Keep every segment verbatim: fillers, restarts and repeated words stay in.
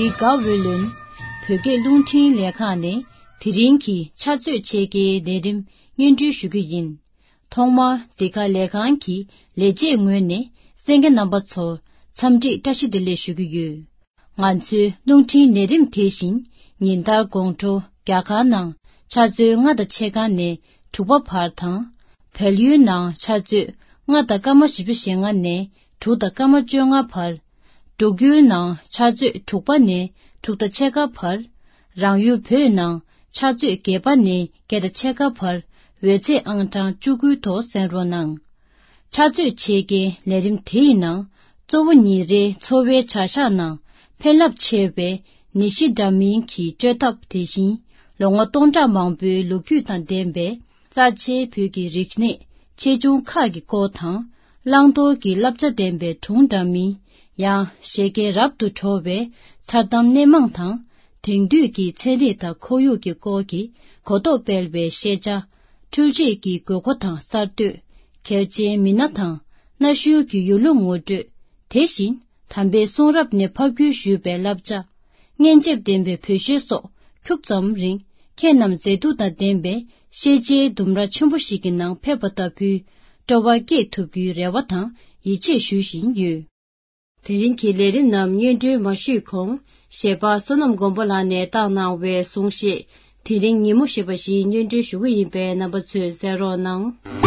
དགའ་འོས་ལོན། བོད་སྐད་རླུང་འཕྲིན་ལས་ཁང་ནས་དེ་རིང་གི་ཕྱག་ཚོད་ཕྱེད་ཀའི་ལས་རིམ་སྙན་སྒྲོན་ཞུ་རྒྱུ་ཡིན། ཐོག་མར་འདི་ག་ལས་ཁང་གི་ལས་བྱེད་ངོས་ནས་གསན་མཁན་རྣམ་པ་ཚོར་འཚམས་འདྲི་བཀྲ་ཤིས་བདེ་ལེགས་ཞུ་གི་ཡོད། ང་ཚོའི་རླུང་འཕྲིན་ལས་རིམ་དེ་བཞིན་ཉིན་ལྟར་དགོང་དྲོ་རྒྱ་གར་ནང་ཆུ་ཚོད་ལྔ་དང་ཕྱེད་ཀ་ནས་དྲུག་པ་བར་དང་། བལ་ཡུལ་ནང་ཆུ་ཚོད་ལྔ་དང་སྐར་མ་བཞི་བཅུ་ཞེ་ལྔ་ནས་དྲུག་དང་སྐར་མ་བཅོ་ལྔ་བར། འབྲུག་ཡུལ་ནང་ཆུ་ཚོད་དྲུག་པ་ནས་དྲུག་དང་ཕྱེད་ཀ་བར། རང་ཡུལ་བོད་ནང་ཆུ་ཚོད་བརྒྱད་པ་ནས་བརྒྱད་དང་ཕྱེད་ཀ་བར་འོད་ཚད་ཨང་གྲངས་བཅུ་དགུའི་ཐོག་གསན་རོགས་གནང་། ཕྱག་ཚོད་ཕྱེད་ཀའི་ལས་རིམ་དེ་ཡི་ནང་གཙོ་བོ་ཉིན་རེའི་འཚོ་བའི་བྱ་གཞག་ནང་ཕན་རླབས་ཆེ་བའི་ནད་གཞི་འདྲ་མིན་གྱི་བཅོས་ཐབས་དེ་བཞིན་ལོ་ངོ་སྟོང་ཕྲག་མང་པོའི་ལོ་རྒྱུས་དང་ལྡན་པའི་རྩ་ཆེའི་བོད་ཀྱི་རིག་གནས་ཆེ་ཆུང་ཁག་གི་སྐོར་དང་། བླང་དོར་གྱི་བསླབ་བྱ་ལྡན་པའི་སྒྲུང་འདྲ་མིན། ཡང་བཞད་གད་རབ་ཏུ་བྲོ་བའི་མཚར་གཏམ་སྣེ་མང་དང་། དེང་དུས་ཀྱི་ཚན་རིག་དང་ཁོར་ཡུག་གི་སྐོར་གྱི་གོ་རྟོགས་སྤེལ་བའི་ཤེས་བྱ། འཕྲུལ་ཆས་ཀྱི་དགོས་མཁོ་དང་གསར་གཏོད། གལ་ཆེའི་མི་སྣ་དང་གནའ་ཤུལ་གྱི་ཡུལ་ལུང་ངོ་སྤྲོད། དེ་བཞིན་དམ་པའི་གསུང་རབ་ནས་ཕབ་བསྒྱུར་ཞུས་པའི་བསླབ་བྱ། སྙན་འཇེབས་ལྡན་པའི་བོད་གཞས་སོགས་ཁྱུག་ཙམ་རིང་ཁྱེད་རྣམས་མཛེས་སྡུག་དང་ལྡན་པའི་ཤེས་བྱའི་ལྡུམ་ར་ཆེན་པོ་ཞིག་གི་ནང་ཕེབས་པ་ལྟ་བུའི་སྤྲོ་བ་སྐྱེས་ཐུབ་རྒྱུའི་རེ་བ་དང་ཡིད་ཆེས་ཞུ་བཞིན་ཡོད། དེ་རིང་གི་ལས་རིམ་རྣམས་སྙན་སྒྲོན་མ་ཞུས་གོང་གཞས་པ་བསོད་ནམས་མགོན་པོ་ལགས་ནས་བཏང་གནང་བའི་གསུང་བཤད། དེ་རིང་ཉིན་མོ་ཞེས་པ་ཞིག་སྙན་སྒྲོན་ཞུ་གི་ཡིན་པས་རྣམ་པ་ཚོས་གསན་རོགས་གནང་།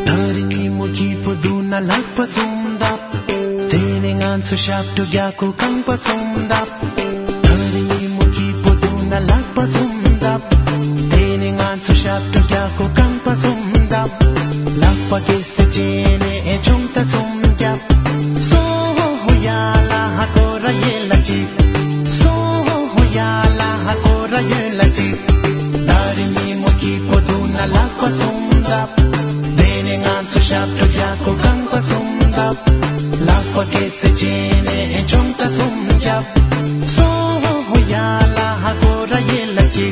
ད་རིང་ཉིན་མོ་སྐྱིད་པོ་འདུག་ན་ལག་པ་བཙུམ་ད། དེ་ནས་ང་ཚོ་ཞབས་བྲོ་རྒྱག་གོ་རྐང་པ་བཙུམ་ད། ད་རིང་ཉིན་མོ་སྐྱིད་པོ་འདུག་ན་ལག་པ་བཙུམ་ད། དེ་ནས་ང་ཚོ་ཞབས་བྲོ་རྒྱག་གོ་རྐང་པ་བཙུམ་ད། ལག་པ་གེ་སེ་བྱས་ནས་ཅུང་ད་བཙུམ་རྒྱབ། སོ་ཧོ་ཧོ་ཡ་ལ་ཧ་གོ་ར་ཡེ་ལ་ཅི། སོ་ཧོ་ཧོ་ཡ་ལ་ཧ་གོ་ར་ཡེ་ལ་ཅི། ད་རིང་ཉིན་མོ་སྐྱིད་པོ་འདུག་ན་ལག་པ་བཙུམ་ད། དེ་ནས་ང་ཚོ་ཞབས་བྲོ་རྒྱག་གོ་རྐང་པ་བཙུམ་ད། ལག་པ་གེ་སེ་བྱས་ནས་ཅུང་ད་བཙུམ་རྒྱབ། སོ་ཧོ་ཧོ་ཡ་ལ་ཧ་གོ་ར་ཡེ་ལ་ཅི།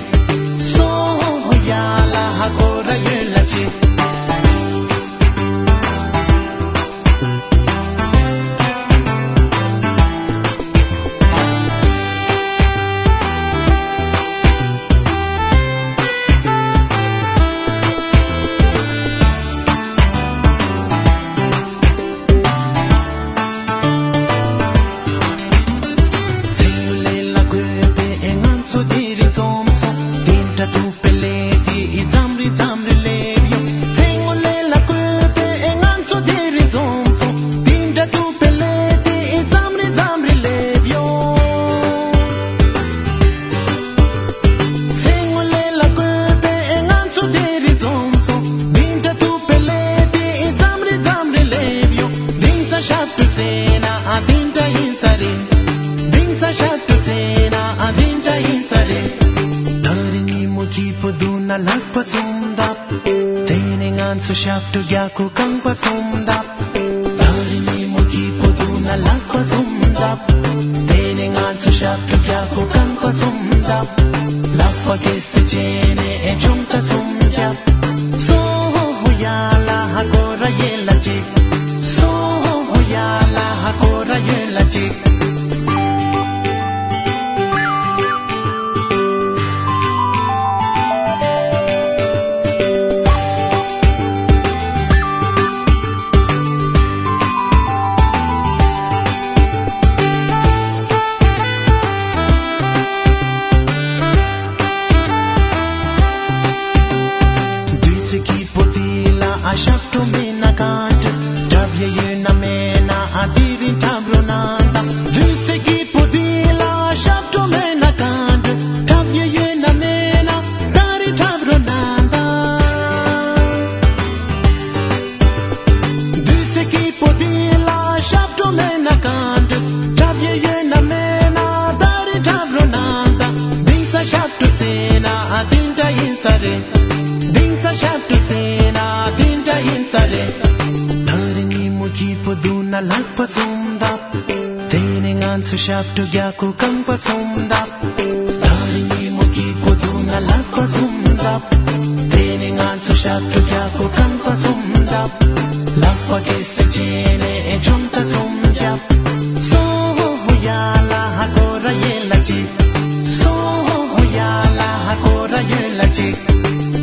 སོ་ཧོ་ཧོ་ཡ་ལ་ཧ་གོ་ར་ཡེ་ལ་ཅི། ད་རིང་ཉིན་མོ་སྐྱིད་པོ་འདུག་ན་ལག་པ་བཙུམ་ད། དེ་ནས་ང་ཚོ་ཞབས་བྲོ་རྒྱག་གོ་རྐང་པ་བཙུམ་ད། ད་རིང་ཉིན་མོ་སྐྱིད་པོ་འདུག་ན་ལག་པ་བཙུམ་ད། དེ་ནས་ང་ཚོ་ཞབས་བྲོ་རྒྱག་གོ་རྐང་པ་བཙུམ་ད། ལག་པ་གེ་སེ་བྱས་ནས་ཅུང་ད་བཙུམ་རྒྱབ། སོ་ཧོ་ཧོ་ཡ་ལ་ཧ་གོ་ར་ཡེ་ལ་ཅི། སོ་ཧོ་ཧོ་ཡ་ལ་ཧ་གོ་ར་ཡེ་ལ་ཅི། ལག་པ་གསུམ་བརྡབ། དེ་ནས་ང་ཚོ་ཞབས་བྲོ་རྒྱག་གོ། རྐང་པ་གསུམ་བརྡབ། ད་རིང་ཉིན་མོ་སྐྱིད་པོ་འདུག་ན་ལག་པ་གསུམ་བརྡབ། དེ་ནས་ང་ཚོ་ཞབས་བྲོ་རྒྱག་གོ། རྐང་པ་གསུམ་བརྡབ། ལག་པ་གེ་སར་བྱས་ནས་ཆུང་ད་གསུམ་རྒྱབ། སོ་ཧོ་ཧོ་ཡ་ལ་ཧ་གོ་ར་ཡེ་ལ་ཅི། སོ་ཧོ་ཧོ་ཡ་ལ་ཧ་གོ་ར་ཡེ་ལ་ཅི།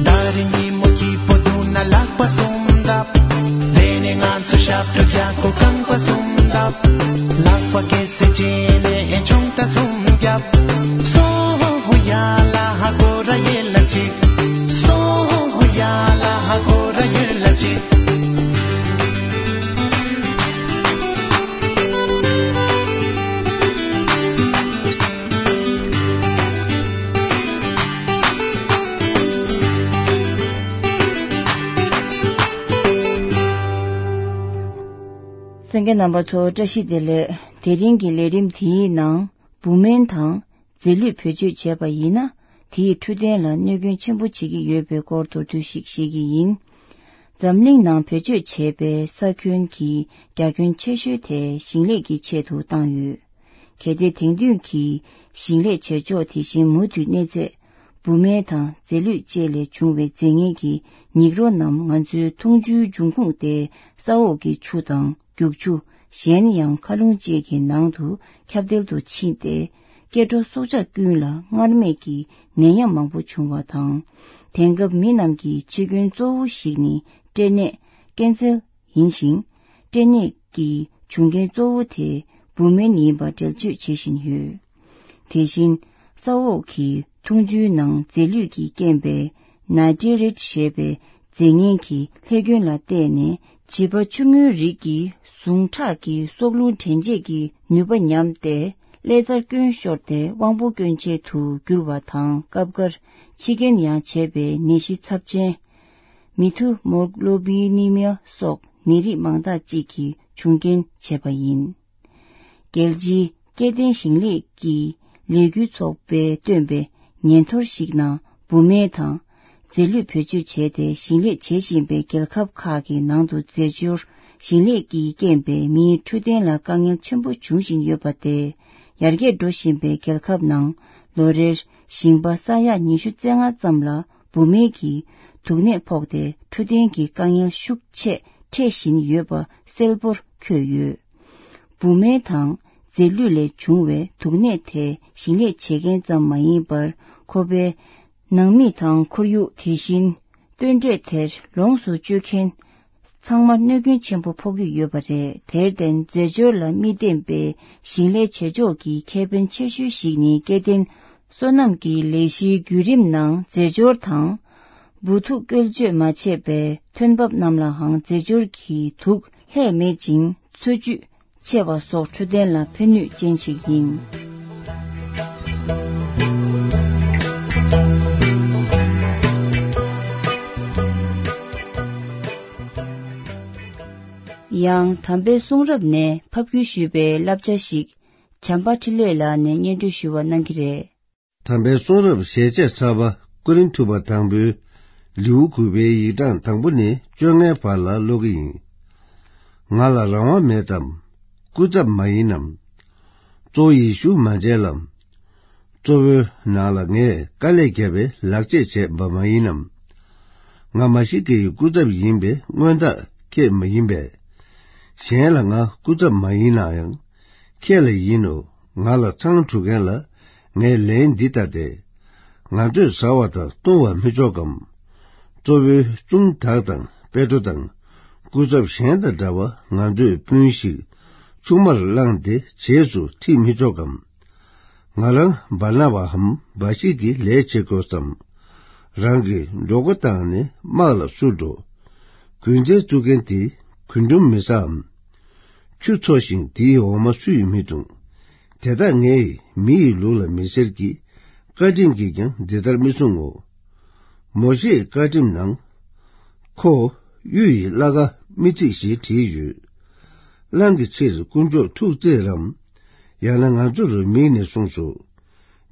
ད་རིང་ཉིན་མོ་སྐྱིད་པོ་འདུག་ན་ལག་པ་གསུམ་བརྡབ། དེ་ནས་ང་ཚོ་ཞབས་བྲོ་རྒྱག་གོ། རྐང་པ་གསུམ་བརྡབ། ལག་པ་གེ་སར་བྱས་ནས་ཆུང་ད་གསུམ་རྒྱབ། སོ་ཧོ་ཧོ་ཡ་ལ་ཧ་གོ་ར་ཡེ་ལ་ཅི། སོ་ཧོ་ཧོ་ཡ་ལ་ཧ་གོ་ར་ཡེ་ལ་ཅི། གསན་མཁན་རྣམ་པ་ཚོ་བཀྲ་ཤིས་བདེ་ལེགས། དེ་རིང་གི་ལས་རིམ་དེའི་ནང་བུད་མེད་དང་རྫས་ལུད་བེད་སྤྱོད་བྱས་པ་ཡིན་ན། དེས་འཕྲོད་བསྟེན་ལ་གནོད་སྐྱོན་ཆེན་པོ་བྱེད་ཀྱི་ཡོད་པའི་སྐོར་མདོར་བསྡུས་ཤིག་བཤད་ཀྱི་ཡིན། འཛམ་གླིང་ནང་བེད་སྤྱོད་བྱས་པའི་ས་ཁྱོན་གྱི་རྒྱ་ཁྱོན་ཆེ་ཤོས་དེ་ཞིང་ལས་ཀྱི་ཆེད་དུ་བཏང་ཡོད། གལ་ཏེ་དེང་དུས་ཀྱི་ཞིང་ལས་བྱེད་ཕྱོགས་དེ་བཞིན་མུ་མཐུད་གནས་ཚེ། བུད་མེད་དང་རྫས་ལུད་བཅས་ལས་བྱུང་བའི་རྫས་ངན་གྱི་ཉིག་རོ་རྣམས་ང་ཚོའི་འཐུང་ཆུའི་འབྱུང་ཁུངས་ཏེ། ས་འོག་གི་ཆུ་དང་རྒྱུག་ཆུ། གཞན་ཡང་མཁའ་རླུང་བཅས་ཀྱི་ནང་དུ་ཁྱབ་གདལ་དུ་ཕྱིན་ཏེ། སྐྱེ་འགྲོ་སྲོག་ཆགས་ཀུན་ལ་སྔར་མེད་ཀྱི་ནད་ཡམས་མང་པོ་བྱུང་བ་དང་། དེང་སྐབས་མི་རྣམས་ཀྱི་འཆི་སྐྱོན་གཙོ་བོ་ཞིག་ནི་སྐྲན་ནད་ཀན་སར་ཡིན་ཞིང་། སྐྲན་ནད་ཀྱི་བྱུང་རྐྱེན་གཙོ་བོ་དེ་བུད་མེད་ཡིན་པ་འགྲེལ་བརྗོད་བྱེད་བཞིན་ཡོད། དེ་བཞིན་ས་འོག་གི་འཐུང་ཆུའི་ནང་རྫས་ལུད་ཀྱིས་རྐྱེན་པས་ནའི་ཏྲེ་རེཊ་ཞེས་པའི་རྫས་ངན་གྱི་ལྷད་སྐྱོན་ལ་བརྟེན་ནས། བྱིས་པ་ཆུང་ངུའི་རིགས་ཀྱི་ཟུངས་ཁྲག་གི་སྲོག་རླུང་དྲན་འཇལ་གྱི་ནུས་པ་ཉམས་ཏེ། ཀླད་རྩར་སྐྱོན་ཤོར་ཏེ་དབང་པོ་སྐྱོན་ཅན་དུ་གྱུར་བ་དང་། སྐབས་འགར་འཆི་རྐྱེན་ཡང་བྱེད་པའི་ནད་གཞི་ཚབས་ཆེན་མི་ཐུ་མོ་གློ་བི་ནི་མི་ཡ་སོགས་ནད་རིགས་མང་དག་ཅིག་གི་བྱུང་རྐྱེན་བྱས་པ་ཡིན། རྒྱལ་སྤྱིའི་སྐྱེ་ལྡན་ཞིང་ལས་ཀྱི་ལས་འགུལ་ཚོགས་པས་བཏོན་པའི་ཉེན་ཐོར་ཞིག་ནང་བུད་མེད་དང་རྫས་ལུད་བེད་སྤྱོད་བྱས་ཏེ་ཞིང་ལས་བྱེད་བཞིན་པའི་རྒྱལ་ཁབ་ཁག་གི་ནང་དུ་རྫས་སྦྱོར་ཞིང་ལས་ཀྱིས་རྐྱེན་པས་མིའི་འཕྲོད་བསྟེན་ལ་དཀའ་ངལ་ཆེན་པོ་འབྱུང་བཞིན་ཡོད་པ་སྟེ། ཡར་རྒྱས་འགྲོ་བཞིན་པའི་རྒྱལ་ཁབ་ནང་ལོ་རེར་ཞིང་པ་ས་ཡ་ཉི་ཤུ་རྩ་ལྔ་ཙམ་ལ་བུད་མེད་ཀྱི་དུག་ནད་ཕོག་སྟེ་འཕྲོད་བསྟེན་གྱི་དཀའ་ངལ་ཤུགས་ཆེ་འཕྲད་བཞིན་ཡོད་པ་གསལ་པོར་འཁོད་ཡོད། བུད་མེད་དང་རྫས་ལུད་ལས་བྱུང་བའི་དུག་ནད་དེ་ཞིང་ལས་བྱེད་མཁན་ཙམ་མ་ཡིན་པར། ཁོ་པའི་ནང་མི་དང་ཁོར་ཡུག་དེ་བཞིན་སྟོན་འབྲས་དེར་ལོངས་སུ་སྤྱོད་མཁན་ཚང་མར་གནོད་སྐྱོན་ཆེན་པོ་ཕོག་གི་ཡོད་པ་རེད། དེར་བརྟེན་རྫས་སྦྱོར་ལ་མི་བརྟེན་པའི་ཞིང་ལས་བྱེད་ཕྱོགས་ཀྱི་ཁེ་ཕན་ཆེ་ཤོས་ཤིག་ནི་སྐྱེ་ལྡན་སོ་ནམ་གྱི་ལས་གཞིའི་བརྒྱུད་རིམ་ནང་རྫས་སྦྱོར་དང་། འབུ་ཐུག་བཀོལ་སྤྱོད་མ་བྱས་པའི་ཐོན་འབབ་རྣམས་ལའང་རྫས་སྦྱོར་གྱི་དུག་ལྷད་མེད་ཅིང་འཚོ་བཅུད་ཆེ་བ་སོགས་འཕྲོད་བསྟེན་ལ་ཕན་ནུས་ཅན་ཞིག་ཡིན། ཡང་དམ་པའི་གསུང་རབ་ནས་ཕབ་བསྒྱུར་ཞུས་པའི་བསླབ་བྱ་ཞིག་བྱམས་པ་འཕྲིན་ལས་ལགས་ནས་སྙན་སྒྲོན་ཞུ་བ་གནང་གི་རེད། དམ་པའི་གསུང་རབ་ཞལ་ཆད་ཚར་པ་ཀོ་རིན་ཐུ་པ་དང་པོའི་ལེའུ་དགུ་པའི་ཡིག་གྲངས་དང་པོ་ནས་བཅོ་ལྔའི་བར་ལ་ཀློག་གི་ཡིན། ང་ལ་རང་དབང་མེད་དམ། སྐུ་ཚབ་མ་ཡིན་ནམ། གཙོ་བོ་ཡེ་ཤུ་མ་མཇལ་ལམ། གཙོ་བོའི་ནང་ལ་ངས་དཀའ་ལས་བརྒྱབ་པའི་ལག་རྗེས་བྱས་པ་མ་ཡིན་ནམ། ང་མ་ཤི་ཀའི་སྐུ་ཚབ་ཡིན་པའི་མངོན་རྟགས་ཁྱེད་མ་ཡིན་པས། གཞན་ལ་ང་སྐུ་ཚབ་མ་ཡིན་ན་ཡང་། ཁྱེད་ལ་ཡིན་ནོ། ང་ལ་མཚང་འབྲུ་མཁན་ལ་ངས་ལན་འདི་ལྟ་སྟེ། ང་ཚོས་ཟ་བ་དང་བཏུང་བ་མི་ཆོག་གམ། གཙོ་བོའི་གཅུང་དག་དང་པེ་ཏྲོ་དང་སྐུ་ཚབ་གཞན་དང་འདྲ་བ་ང་ཚོས་སྤུན་ཞིག་ཆུང་མར་བླངས་ཏེ་རྗེས་སུ་ཁྲིད་མི་ཆོག་གམ། ང་རང་འབར་ན་བའམ་འབའ་ཞིག་གི་ལས་བྱེད་དགོས་སམ། རང་གི་མགྱོགས་པོ་བཏང་ནས་དམག་ལ་བསུ་འགྲོ། རྒྱུ་མཚན་བཙུགས་མཁན་དེ་རྒུན་འབྲུམ་མི་ཟའམ། ཁྱུ་འཚོ་ཞིང་དེའི་འོ་མ་སུས་མི་འཐུང་། དེ་དག་ངས་མི་ཡི་ལུགས་ལ་མི་ཟེར་གྱི། བཀའ་ཁྲིམས་ཀྱིས་ཀྱང་འདི་ལྟར་མི་གསུང་ངོ་། མོ་ཤེས་བཀའ་ཁྲིམས་ནང་། ཁོ་གཡུ་ཡི་བླ་ག་མི་ཚིག་ཞེས་བྲིས་ཡོད། གླང་གི་ཕྱིར་དཀོན་མཆོག་ཐུགས་བརྩེ་རམ། ཡང་ན་ང་ཚོར་མིག་ནས་གསུངས་སོ།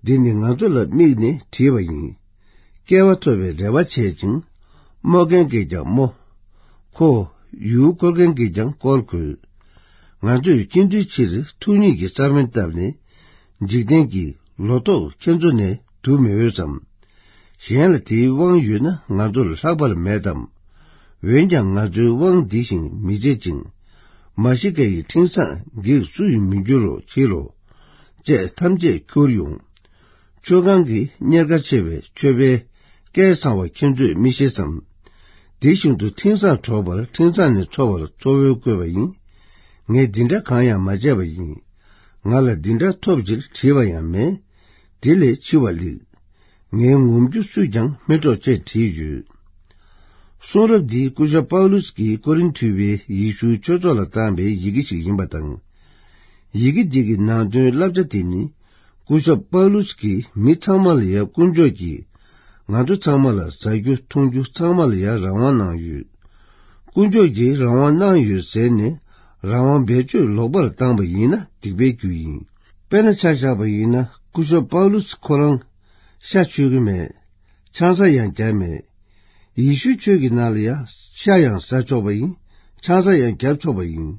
འདི་ནི་ང་ཚོ་ལ་དམིགས་ནས་བྲིས་པ་ཡིན། སྐལ་བ་ཐོབ་པའི་རེ་བ་བྱེད་ཅིང་། རྨོ་མཁན་གྱིས་ཀྱང་རྨོ། ཁོ་ཡུལ་བསྐོར་མཁན་གྱིས་ཀྱང་བསྐོར་དགོས། ང་ཚོས་སྐྱིད་འདོད་ཕྱིར་ཐུགས་ཉིད་ཀྱི་རྩ་བྲལ་བཏབ་ནས། འཇིག་རྟེན་གྱི་ལོ་ཏོག་ཁྱེད་ཚོ་ནས་བསྡུ་མི་འོས་སམ། གཞན་ལ་དེའི་དབང་ཡོད་ན་ང་ཚོར་ལྷག་པར་མེད་དམ། འོན་ཀྱང་ང་ཚོའི་དབང་འདི་བཞིན་མི་བྱེད་ཅིང་། མ་ཤི་ཀ་ཡི་འཕྲིན་བཟང་འགས་སུ་ཡིས་མི་འགྱུར་རོ་ཕྱིར་རོ། ཅེས་ཐམས་ཅད་ཁྱུར་ཡོང་། མཆོད་ཁང་གི་གཉེར་ཁ་ཆེ་བའི་མཆོད་པའི་སྐལ་བཟང་བ་ཁྱེད་ཚོས་མི་ཤེས་སམ། དེ་བཞིན་དུ་འཕྲིན་བཟང་སྒྲོག་པར་འཕྲིན་བཟང་ནས་འཚོ་བར་གཙོ་བོས་བསྐོས་པ་ཡིན། ངས་འདི་འདྲ་གང་ཡང་མ་བྱས་པ་ཡིན། ང་ལ་འདི་འདྲ་ཐོབ་ཕྱིར་བྲིས་པ་ཡང་མེད། དེ་ལས་འཆི་བ་ལེགས། ངའི་ངོམ་རྒྱུ་སུས་ཀྱང་མི་སྤྲོ་ཅེས་བྲིས་ཡོད། གསུང་རབ་འདི་སྐུ་ཞབས་པའུ་ལུས་ཀྱིས་ཀོ་རིན་ཐུ་པའི་ཡེ་ཤུའི་ཆོས་ཚོགས་ལ་བཏང་བའི་ཡི་གེ་ཞིག་ཡིན་པ་དང་། ཡི་གེ་འདི་གི་ནང་དོན་བསླབ་བྱ་དེ་ནི། སྐུ་ཞབས་པའུ་ལུས་ཀྱིས་མི་ཚང་མ་ལ་ཡང་དཀོན་མཆོག་གིས་ང་ཚོ་ཚང་མ་ལ་ཟ་རྒྱུ་འཐུང་རྒྱུ་ཚང་མ་ལ་ཡང་རང་དབང་གནང་ཡོད། དཀོན་མཆོག་གིས་རང་དབང་གནང་ཡོད་ཟེར་ནས་རང་དབང་བེད་སྤྱོད་ལོག་པར་བཏང་པ་ཡིན་ན་སྡིག་པའི་རྒྱུ་ཡིན། དཔེར་ན་ཆ་བཞག་པ་ཡིན་ན་སྐུ་ཞབས་པའུ་ལུས་ཁོ་རང་ཤ་མཆོད་ཀྱི་མེད། ཆང་ས་ཡང་བརྒྱབ་མེད། ཡེ་ཤུའི་ཆོས་ཀྱི་ནང་ལ་ཡང་ཤ་ཡང་ཟ་ཆོག་པ་ཡིན། ཆང་ས་ཡང་བརྒྱབ་ཆོག་པ་ཡིན།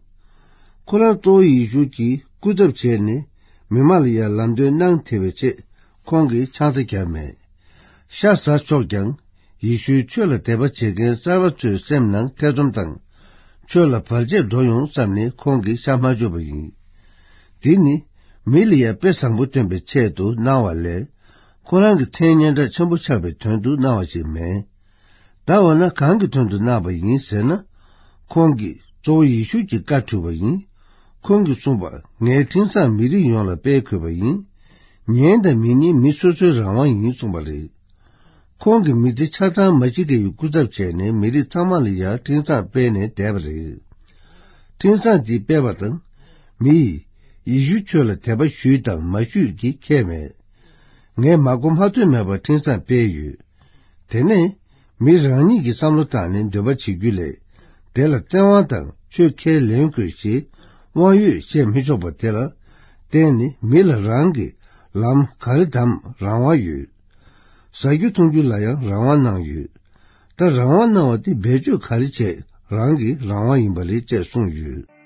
ཁོ་རང་གཙོ་བོ་ཡེ་ཤུ་གྱིས་སྐུར་འདེབས་བྱས་ནས་མི་མང་ལ་ཡང་ལམ་སྟོན་གནང་ཐེ་བའི་ཆེད་ཁོང་གིས་ཆང་ས་བརྒྱབ་མེད། ཤ་ཟ་ཆོག་ཀྱང་ཡེ་ཤུའི་ཆོས་ལ་དད་པ་བྱེད་མཁན་གསར་པ་ཚོའི་སེམས་ནང་ཐེ་ཚོམ་དང་། ཆོས་ལ་བར་ཆད་འགྲོ་ཡོང་བསམ་ནས་ཁོང་གིས་ཤ་མ་མཆོད་པ་ཡིན། འདི་ནི་མི་ལ་ཡང་དཔེ་བཟང་པོ་སྟོན་པའི་ཆེད་དུ་གནང་བ་ལས། ཁོ་རང་གི་མཚན་སྙན་གྲགས་ཆེན་པོ་ཆགས་པའི་དོན་དུ་གནང་བ་ཞིག་མེད། ད་འོ་ན་གང་གི་དོན་དུ་གནང་བ་ཡིན་ཟེར་ན། ཁོང་གིས་གཙོ་བོ་ཡེ་ཤུ་གྱི་བཀའ་ཁྲིད་པ་ཡིན། ཁོང་གིས་གསུངས་པ། ངའི་འཕྲིན་བཟང་མི་རིགས་ཡོངས་ལ་སྤེལ་དགོས་པ་ཡིན། ཉན་དང་མི་ཉན་མི་སོ་སོའི་རང་དབང་ཡིན་གསུངས་པ་རེད། ཁོང་གིས་མི་ཚེ་ཆ་ཚང་མ་ཤི་ཀ་ཡི་སྐུ་ཚབ་བྱས་ནས་མི་རིགས་ཚང་མ་ལ་ཡང་འཕྲིན་བཟང་སྤེལ་ནས་བསྡད་པ་རེད། འཕྲིན་བཟང་འདི་སྤེལ་བ་དང་། མི་ཡིས་ཡེ་ཤུ་ཆོས་ལ་དད་པ་ཞུས་དང་མ་ཞུས་ཀྱི་ཁྱད་མེད། ངས་མ་གོ་མ་ཐོས་མེད་པར་འཕྲིན་བཟང་སྤེལ་ཡོད། དེ་ནས་མི་རང་ཉིད་ཀྱི་བསམ་བློ་བཏང་ནས་འདོད་པ་བྱེད་རྒྱུ་ལས། དེ་ལ་བཙན་དབང་དང་ཆོས་ཁས་ལེན་དགོས་ཞེས་དབང་ཡོད་བཤད་མི་ཆོག་པ་དེ་ལ་བརྟེན་ནས་མི་ལ་རང་གི་ལམ་ག་རེ་བདམས་རང་དབང་ཡོད། ཟ་རྒྱུ་འཐུང་རྒྱུ་ལ་ཡང་རང་དབང་གནང་ཡོད། ད་རང་དབང་གནང་བ་དེ་བེད་སྤྱོད་ག་རེ་བྱས་རང་གི་རང་དབང་ཡིན་པ་རེད་ཅེས་གསུངས་ཡོད།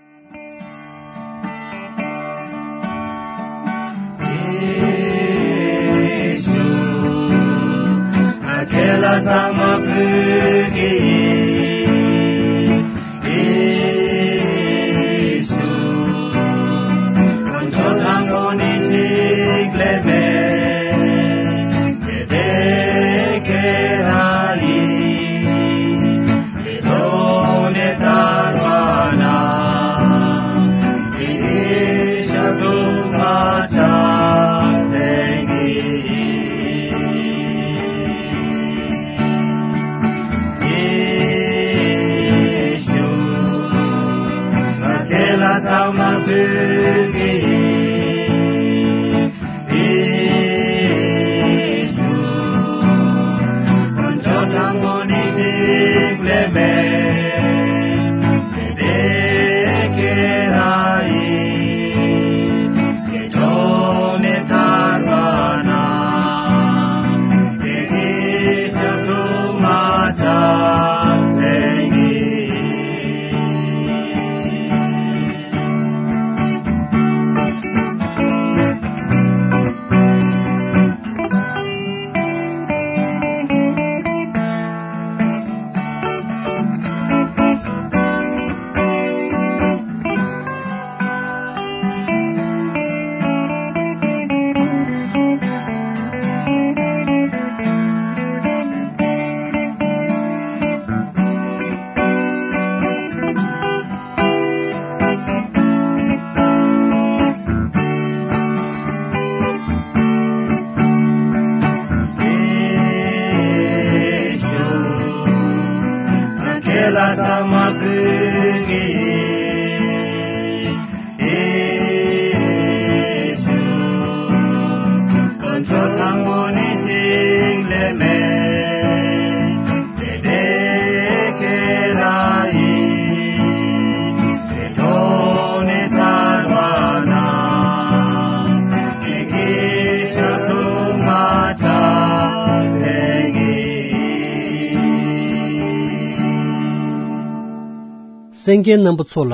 གསན་མཁན་རྣམ་པ་ཚོ་ལ།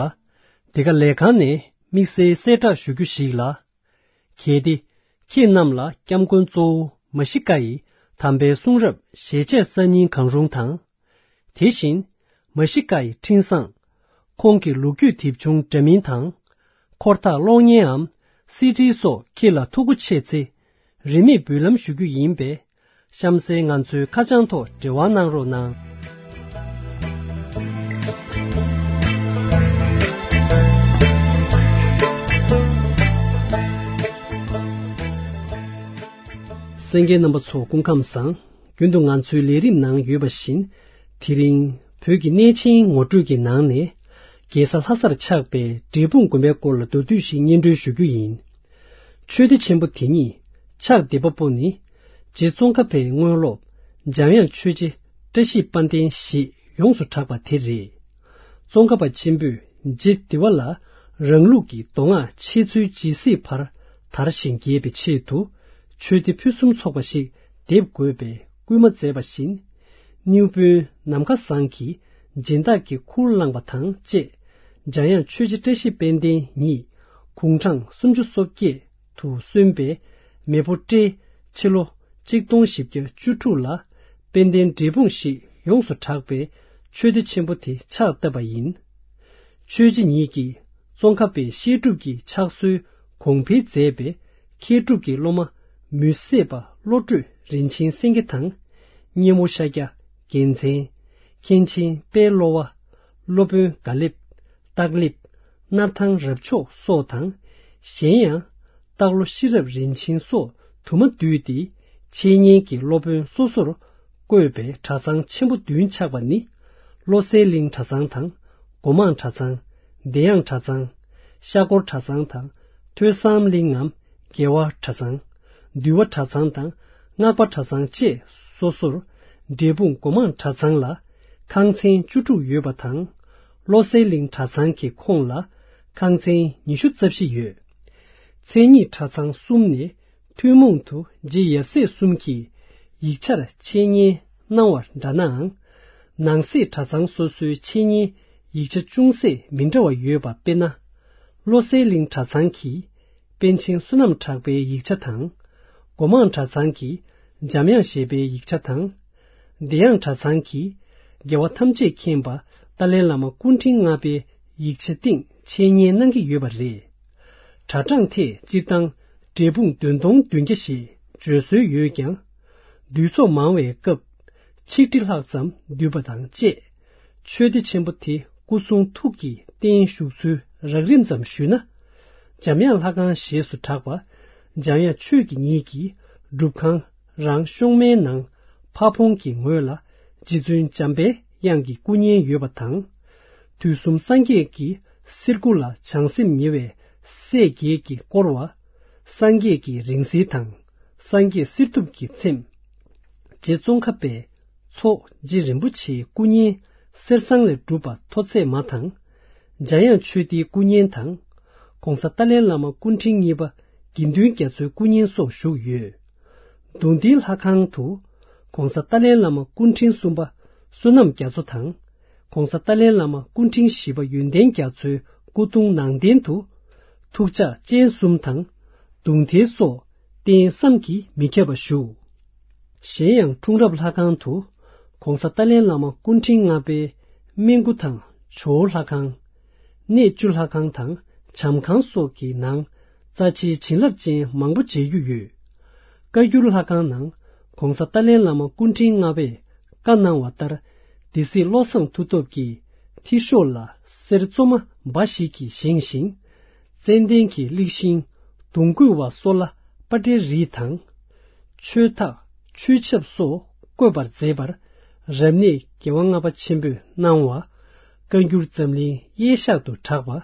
འདི་ག་ལས་ཁང་ནས་དམིགས་བསལ་གསལ་བསྒྲགས་ཞུ་རྒྱུ་ཞིག་ལ། གལ་ཏེ་ཁྱེད་རྣམས་ལ་སྐྱབས་མགོན་གཙོ་བོ་མ་ཤི་ཀ་ཡི་དམ་པའི་གསུང་རབ་ཞལ་ཆད་གསར་རྙིང་གང་རུང་དང་། དེ་བཞིན་མ་ཤི་ཀ་ཡི་འཕྲིན་བཟང་། ཁོང་གི་ལོ་རྒྱུས་དེབ་ཆུང་འདྲ་མིན་དང་། འཁོར་ཐག་གློག་བརྙན་འམ་སི་ཌི་སོགས་ཁྱེད་ལ་ཐུགས་མཁོ་ཆེ་ཚེ། རིན་མེད་འབུལ་ལམ་ཞུ་རྒྱུ་ཡིན་པས། གཤམ་གསལ་ང་ཚོའི་ཁ་བྱང་ཐོག་འབྲེལ་བ་གནང་རོགས་གནང་། གསན་མཁན་རྣམ་པ་ཚོ་སྐུ་ཁམས་བཟང་། རྒྱུན་དུ་ང་ཚོའི་ལས་རིམ་ནང་ཡོད་པ་བཞིན། དེ་རིང་བོད་ཀྱི་གནས་ཆེན་ངོ་སྤྲོད་ཀྱི་ནང་ནས། རྒྱལ་ས་ལྷ་སར་ཆགས་པའི་འབྲས་སྤུངས་དགོན་པའི་སྐོར་ལ་མདོར་བསྡུས་ཤིག་སྙན་སྒྲོན་ཞུ་རྒྱུ་ཡིན། ཆོས་སྡེ་ཆེན་པོ་དེ་ཉིད་ཕྱག་འདེབས་པ་པོ་ནི། རྗེ་ཙོང་ཁ་པའི་དངོས་སློབ་འཇམ་དབྱངས་ཆོས་རྗེ་བཀྲ་ཤིས་དཔལ་ལྡན་ཞེས་ཡོངས་སུ་གྲགས་པ་དེ་རེད། ཙོང་ཁ་པ་ཆེན་པོས་རྗེ་འདི་བ་ལ་རང་ལུགས་ཀྱི་མདོ་སྔགས་འཆད་ཚུལ་ཇི་སྲིད་བར་དར་ཞིང་རྒྱས་པའི་ཆེད་དུ་ཆོས་སྡེ་ཕུན་སུམ་ཚོགས་པ་ཞིག་འདེབས་དགོས་པའི་སྐུལ་མ་མཛད་པ་བཞིན། སྣེའུ་དཔོན་ནམ་མཁའ་བཟང་གིས་སྦྱིན་བདག་གི་ཁུར་བླངས་པ་དང་བཅས། འཇམ་དབྱངས་ཆོས་རྗེ་བཀྲ་ཤིས་དཔལ་ལྡན་ཉིད་དགུང་གྲངས་སུམ་ཅུ་སོ་བརྒྱད་དུ་སོན་པའི་མེ་ཕོ་སྤྲེལ་ཕྱི་ལོ་གཅིག་སྟོང་བཞི་བརྒྱ་བཅུ་དྲུག་ལ་དཔལ་ལྡན་འབྲས་སྤུངས་ཞེས་ཡོངས་སུ་གྲགས་པའི་ཆོས་སྡེ་ཆེན་པོ་དེ་ཕྱག་བཏབ་པ་ཡིན། ཆོས་རྗེ་ཉིད་ཀྱིས་ཙོང་ཁ་པའི་བཤད་སྒྲུབ་ཀྱི་ཕྱག་སྲོལ་གོང་འཕེལ་མཛད་པས། མཁས་གྲུབ་ཀྱི་སློབ་མ་མུན་སེལ་བ་བློ་གྲོས་རིན་ཆེན་སེང་གེ་དང་། སྙེ་མོ་ཤཱཀྱ་རྒྱལ་མཚན། མཁན་ཆེན་དཔལ་བློ་བ། སློབ་དཔོན་དགའ་ལེགས། སྟག་ལེབ། སྣར་ཐང་རབ་མཆོག་སོགས་དང་། གཞན་ཡང་། སྟག་ལོ་ཤེས་རབ་རིན་ཆེན་སོགས་དུ་མ་འདུས་ཏེ། འཆད་ཉན་གྱི་སློབ་དཔོན་སོ་སོར་བསྐོས་པའི་གྲྭ་ཚང་ཆེན་པོ་བདུན་ཆགས་པ་ནི། བློ་གསལ་གླིང་གྲྭ་ཚང་དང་། སྒོ་མང་གྲྭ་ཚང་། བདེ་དབྱངས་གྲྭ་ཚང་། ཤར་སྒོར་གྲྭ་ཚང་དང་། ཐོས་བསམ་གླིང་ངམ་རྒྱལ་བ་གྲྭ་ཚང་། འདུལ་བ་གྲྭ་ཚང་དང་། སྔགས་པ་གྲྭ་ཚང་བཅས་སོ་སོར། འབྲས་སྤུངས་སྒོ་མང་གྲྭ་ཚང་ལ་ཁང་ཚན་བཅུ་དྲུག་ཡོད་པ་དང་། བློ་གསལ་གླིང་གྲྭ་ཚང་གི་ཁོངས་ལ་ཁང་ཚན་ཉི་ཤུ་རྩ་བཞི་ཡོད། མཚན་ཉིད་གྲྭ་ཚང་གསུམ་ནས། ཐུན་མོང་དུ་རྗེ་ཡབ་སྲས་གསུམ་གྱིས་ཡིག་ཆར་འཆད་ཉན་གནང་བ་འདྲ་ནའང་། ནང་གསེས་གྲྭ་ཚང་སོ་སོའི་འཆད་ཉན་ཡིག་ཆ་ཅུང་ཟད་མི་འདྲ་བ་ཡོད་པ་དཔེར་ན། བློ་གསལ་གླིང་གྲྭ་ཚང་གིས་པཎ་ཆེན་བསོད་ནམས་གྲགས་པའི་ཡིག་ཆ་དང་། སྒོ་མང་གྲྭ་ཚང་གིས་འཇམ་དབྱངས་བཞད་པའི་ཡིག་ཆ་དང་། བདེ་དབྱངས་གྲྭ་ཚང་གིས་རྒྱལ་བ་ཐམས་ཅད་མཁྱེན་པ་ཏཱ་ལའི་བླ་མ་སྐུ་ཕྲེང་ལྔ་པའི་ཡིག་ཆའི་སྟེང་འཆད་ཉན་གནང་གི་ཡོད་པ་རེད། གྲྭ་གྲངས་ཐད་སྤྱིར་བཏང་འབྲས་སྤུངས་བདུན་སྟོང་བདུན་བརྒྱ་ཞེས་བརྗོད་སྲོལ་ཡོད་ཀྱང་། འདུས་ཚོགས་མང་བའི་སྐབས་ཆིག་ཁྲི་ལྷག་ཙམ་འདུས་པ་དང་བཅས། ཆོས་སྡེ་ཆེན་པོ་དེ་སྐུ་གསུང་ཐུགས་ཀྱི་རྟེན་བཞུགས་ཚུལ་རགས་རིམ་ཙམ་ཞུས་ན། འཇམ་དབྱངས་ལྷ་ཁང་ཞེས་སུ་གྲགས་པ། འཇམ་དབྱངས་ཆོས་ཀྱི་ཉིད་ཀྱི་སྒྲུབ་ཁང་རང་གཤོང་མའི་ནང་ཕ་བོང་གི་ངོས་ལ་རྗེ་བཙུན་འཇམ་པའི་དབྱངས་ཀྱི་སྐུ་བརྙན་ཡོད་པ་དང་། དུས་གསུམ་སངས་རྒྱས་ཀྱི་གསེར་སྐུ་ལ་བྱང་སེམས་ཉེ་བའི་སྲས་བརྒྱད་ཀྱིས་བསྐོར་བ། སངས་རྒྱས་ཀྱི་རིང་བསྲེལ་དང་། སངས་རྒྱས་གསེར་ཐུབ་ཀྱི་ཚེམས། རྗེ་ཙོང་ཁ་པའི་མཚོ་རྗེ་རིན་པོ་ཆེའི་སྐུ་བརྙན་གསེར་ཟངས་ལས་གྲུབ་པ་མཐོ་ཚད་མ་དང་། འཇམ་དབྱངས་ཆོས་སྡེའི་སྐུ་བརྙན་དང་། ༸གོང་ས་ཏཱ་ལའི་བླ་མ་སྐུ་ཕྲེང་གཉིས་པ་དགེ་འདུན་རྒྱ་མཚོའི་སྐུ་བརྙན་སོགས་བཞུགས་ཡོད། གདུང་སྡེའི་ལྷ་ཁང་དུ་༸གོང་ས་ཏཱ་ལའི་བླ་མ་སྐུ་ཕྲེང་གསུམ་པ་བསོད་ནམས་རྒྱ་མཚོ་དང་། ༸གོང་ས་ཏཱ་ལའི་བླ་མ་སྐུ་ཕྲེང་བཞི་པ་ཡོན་ཏན་རྒྱ་མཚོའི་སྐུ་གདུང་ནང་རྟེན་དུ། ཐུགས་ཕྱག་སྤྱན་གསུམ་དང་། གདུང་ཐལ་སོགས་རྟེན་བསམ་གྱིས་མི་ཁྱབ་པ་བཞུགས། གཞན་ཡང་འཁྲུངས་རབས་ལྷ་ཁང་དུ་༸གོང་ས་ཏཱ་ལའི་བླ་མ་སྐུ་ཕྲེང་ལྔ་པའི་སྨན་སྐུ་དང་ཇོ་བོ་ལྷ་ཁང་། གནས་བཅུ་ལྷ་ཁང་དང་བྱམས་ཁང་སོགས་ཀྱི་ནང་རྩ་ཆེའི་བྱིན་རླབས་ཅན་མང་པོ་མཇལ་རྒྱུ་ཡོད། བཀའ་འགྱུར་ལྷ་ཁང་ནང་༸གོང་ས་ཏཱ་ལའི་བླ་མ་སྐུ་ཕྲེང་ལྔ་པས་བཀའ་གནང་བ་ལྟར། སྡེ་སྲིད་བློ་བཟང་མཐུ་སྟོབས་ཀྱིས་ཐིག་ཤོག་ལ་གསེར་བཙོ་མ་འབའ་ཞིག་གིས་བཞེངས་ཤིང་། ཙན་དན་གྱི་གླིག་ཤིང་། གདུང་བརྐོས་པ་སོགས་ལ་པ་ཏྲའི་རིས་དང་། ཆོས་ཐག་ཆོས་ཆབ་སོགས་བརྐོས་པར་མཛད་པར། རབ་གནས་རྒྱལ་བ་ལྔ་པ་ཆེན་པོས་གནང་བ། བཀའ་འགྱུར་འཛམ་གླིང་གཡས་བཞག་ཏུ་གྲགས་པ།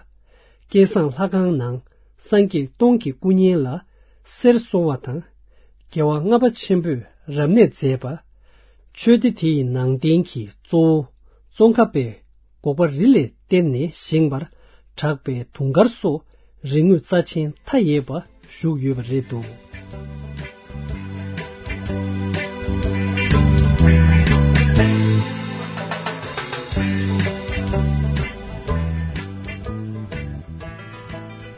བསྐལ་བཟང་ལྷ་ཁང་ནང་སངས་རྒྱས་སྟོང་གི་སྐུ་བརྙན་ལ་གསེར་གསོལ་བ་དང་། རྒྱལ་བ་ལྔ་པ་ཆེན་པོས་རབ་གནས་མཛད་པ། ཆོས་སྡེ་དེ་ཡི་ནང་རྟེན་གྱི་གཙོ་བོ་ཙོང་ཁ་པའི་འགོག་པ་རི་ལས་བཏེགས་ནས་བཞེངས་པར་གྲགས་པའི་དུང་དཀར་སོགས་རིག་དངོས་རྩ་ཆེན་མཐའ་ཡས་པ་བཞུགས་ཡོད་པ་རེད་འདུག།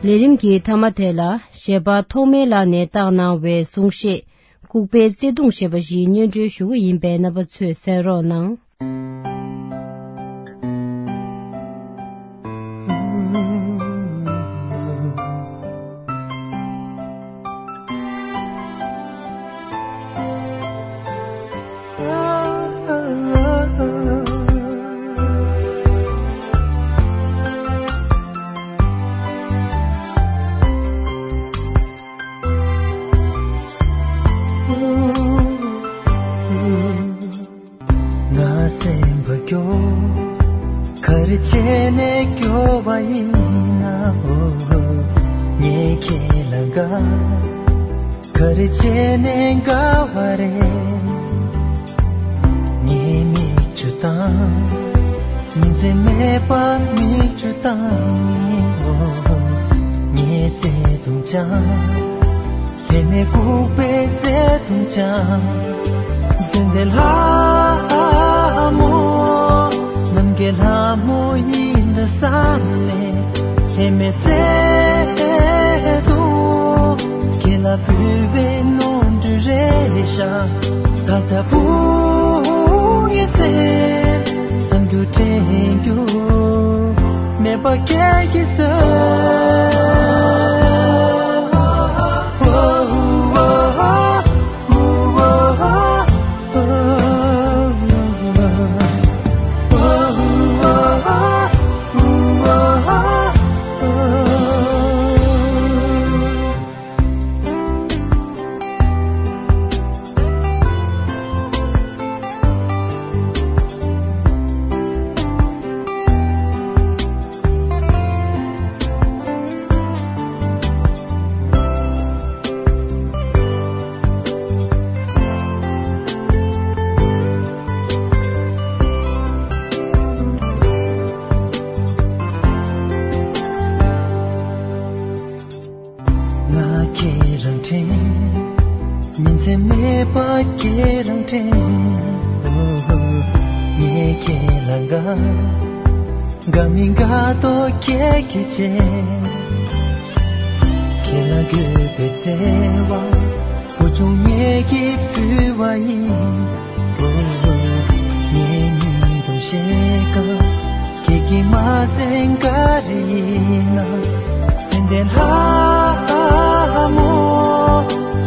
ལས་རིམ་གྱི་མཐའ་མ་དེ་ལ་གཞས་པ་ཐོགས་མེད་ལགས་ནས་བཏང་གནང་བའི་གསུང་བཤད། ལྐུགས་པའི་བརྩེ་དུང་ཞེས་པ་ཞིག་སྙན་སྒྲོན་ཞུ་གི་ཡིན་པས། རྣམ་པ་ཚོས་གསན་རོགས་གནང་། ང་སེམས་པ་སྐྱོ། ག་རེ་བྱས་ནས་སྐྱོ་བ་ཡིན་ན། ཨོ། ངས་ཁྱེད་ལ་དགའ། ག་རེ་བྱས་ནས་དགའ་བ་རེད། ངའི་མིག་ཆུ་དང་། ཉིན་མཚན་མེད་པར་མིག་ཆུ་དང་། ཨོ། ངའི་བརྩེ་དུང་ཅང་། ལྷད་མེད་ལྐུགས་པའི་བརྩེ་དུང་ཅང་། འཛིན་ལྡན་ལྷ་མོ། ནམ་མཁའི་ལྷ་མོ་ཡིན་འདྲ་བསམ་ནས། ལྷད་མེད་བརྩེ་དུང་། ཁྱེད་ལ་ཕུལ་བའི་ནོར་འཁྲུལ་རེད་ཤག་ད་ཆ་བུ་ངའི་སེམས། བསམ་རྒྱུ་དྲན་རྒྱུ་མེད་པ་སྐྱེ་གི་ཟེར། ང་ཁྱེད་རང་དྲན། ཉིན་མཚན་མེད་པར་ཁྱེད་རང་དྲན། ངས་ཁྱེད་ལ་དགའ། དགའ་མི་དགའ་དོ་ཁྱེད་ཀྱིས་བྱས། ཁྱེད་ལ་དགོས་པའི་བརྩེ་བ། བུ་ཆུང་ངེད་ཀྱིས་ཕུལ་བ་ཡིན། ངའི་སྙིང་དུ་གཤེགས་ཀ་ཁྱེད་ཀྱིས་མ་གསན་ག་རེ་ཡིན་ན། སེམས་ལྡན་ལྷ་མོ།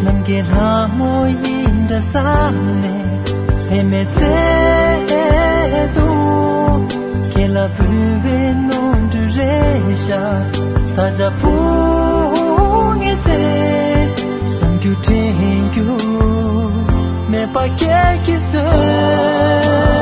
ནམ་མཁའི་ལྷ་མོ་ཡིན་འདྲ་བསམ་ནས། ལྷད་མེད་བརྩེ་དུང་། ཁྱེད་ལ་ཕུལ་བའི་ནོར་འཁྲུལ་རེད་ཤག་ད་ཆ་བུ་ངའི་སེམས། བསམ་རྒྱུ་དྲན་རྒྱུ་མེད་པ་སྐྱེ་གི་ཟེར།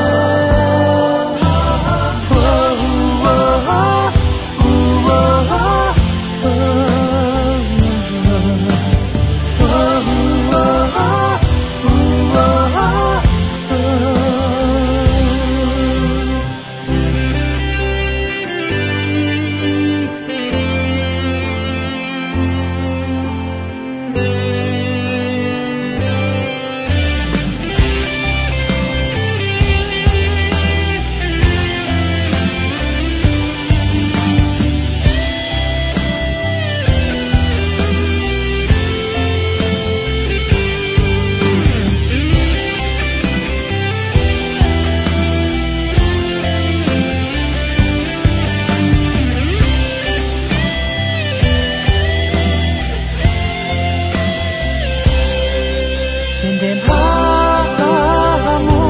སེམས་ལྡན་ལྷ་མོ།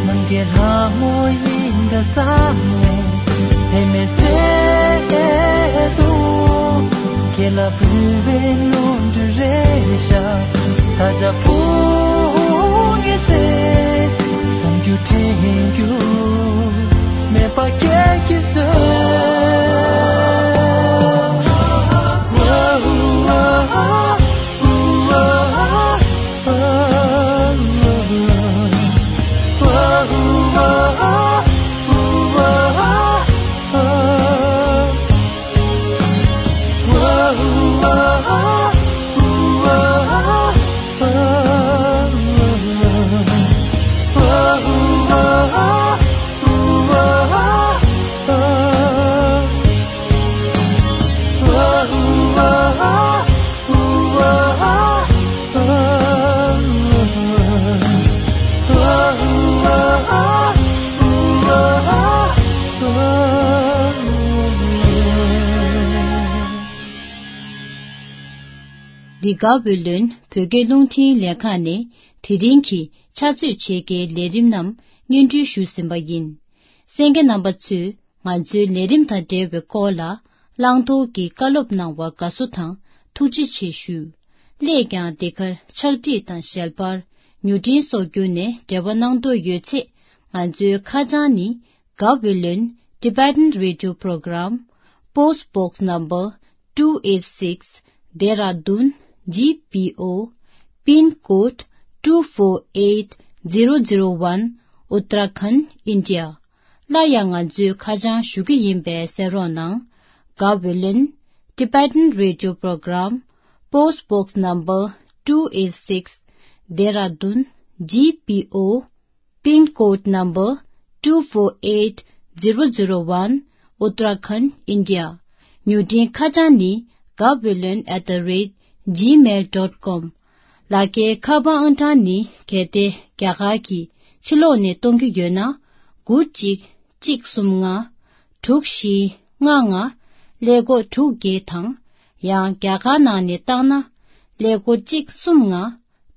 ནམ་མཁའི་ལྷ་མོ་ཡིན་འདྲ་བསམ་ནས། ལྷད་མེད་བརྩེ་དུང་། ཁྱེད་ལ་ཕུལ་བའི་ནོར་འཁྲུལ་རེད་ཤག་ད་ཆ་བུ་ངའི་སེམས། བསམ་རྒྱུ་དྲན་རྒྱུ་མེད་པ་སྐྱེ་གི་ཟེར། དགའ་བོད་ལོན་བོད་སྐད་རླུང་འཕྲིན་ལས་ཁང་ནས་དེ་རིང་གི་ཕྱག་ཚོད་ཕྱེད་ཀའི་ལས་རིམ་རྣམས་སྙན་སྒྲོན་ཞུས་ཟིན་པ་ཡིན། གསན་མཁན་རྣམ་པ་ཚོས་ང་ཚོའི་ལས་རིམ་དང་འབྲེལ་བའི་སྐོར་ལ་བླང་དོར་གྱི་བཀའ་སློབ་གནང་བར་དགའ་བསུ་དང་ཐུགས་རྗེ་ཆེ་ཞུ། སླད་ཀྱང་འདི་གར་ཕྱག་བྲིས་དང་ཞལ་པར། མྱུར་འཕྲིན་སོགས་བརྒྱུད་ནས་འབྲེལ་བ་གནང་འདོད་ཡོད་ཚེ། ང་ཚོའི་ཁ་བྱང་ནི། Gaweylon Tibetan Radio Program, Post Box Number two eight six, Dehradun G P O, Pin Code two four eight zero zero one, Uttarakhand, India. སླར་ཡང་ང་ཚོའི་ཁ་བྱང་ཞུ་གི་ཡིན་པས་གསན་རོགས་གནང་། Gaweylon Tibetan Radio Program, Post Box Number two eight six, Dehradun G P O, Pin Code Number two four eight zero zero one, Uttarakhand, India. མྱུར་འཕྲིན་ཁ་བྱང་ནི། Gaweylon at the rate gmail dot com. ལག་འཁྱེར་ཁ་པར་ཨང་གྲངས་ནི། གལ་ཏེ་རྒྱ་གར་གྱི་ཕྱི་ལོགས་ནས་གཏོང་གི་ཡོད་ན། དགུ་གཅིག་གཅིག་གསུམ་ལྔ། དྲུག་བཞི་ལྔ་ལྔ། ཀླད་ཀོར་དྲུག་བརྒྱད་དང་། ཡང་རྒྱ་གར་ནང་ནས་བཏང་ན། ཀླད་ཀོར་གཅིག་གསུམ་ལྔ།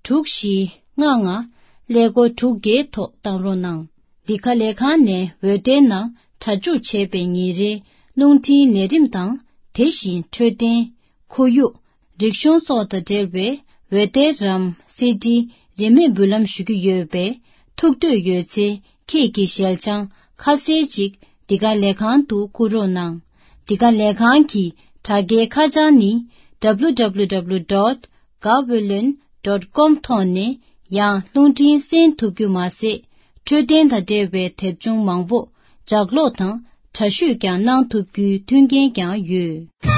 དྲུག་བཞི་ལྔ་ལྔ། ཀླད་ཀོར་དྲུག་བརྒྱད་ཐོག་བཏང་རོགས་གནང་། འདི་ག་ལས་ཁང་ནས་འོད་སྡེར་ནང་སྒྲ་འཇུག་བྱས་པའི་ཉིན་རེའི་རླུང་འཕྲིན་ལས་རིམ་དང་། དེ་བཞིན་འཕྲོད་བསྟེན། ཁོར་ཡུག་རིག་གཞུང་སོགས་དང་འབྲེལ་བའི་འོད་སྡེར་རམ་སི་ཌི་རིན་མེད་འབུལ་ལམ་ཞུ་གི་ཡོད་པས། ཐུགས་འདོད་ཡོད་ཚེ། ཁྱེད་ཀྱི་ཞལ་བྱང་ཁ་གསལ་ཅིག་འདི་ག་ལས་ཁང་དུ་བསྐུར་རོགས་གནང་། འདི་ག་ལས་ཁང་གི་དྲ་རྒྱའི་ཁ་བྱང་ནི། W W W dot gaweylon dot com ཐོག་ནས་ཡང་རླུང་འཕྲིན་གསན་ཐུབ་རྒྱུ་མ་ཟད། འཕྲོད་བསྟེན་དང་འབྲེལ་བའི་དེབ་ཆུང་མང་པོ་ལྗགས་ཀློག་དང་འདྲ་བཤུས་ཀྱང་གནང་ཐུབ་རྒྱུའི་མཐུན་རྐྱེན་ཀྱང་ཡོད།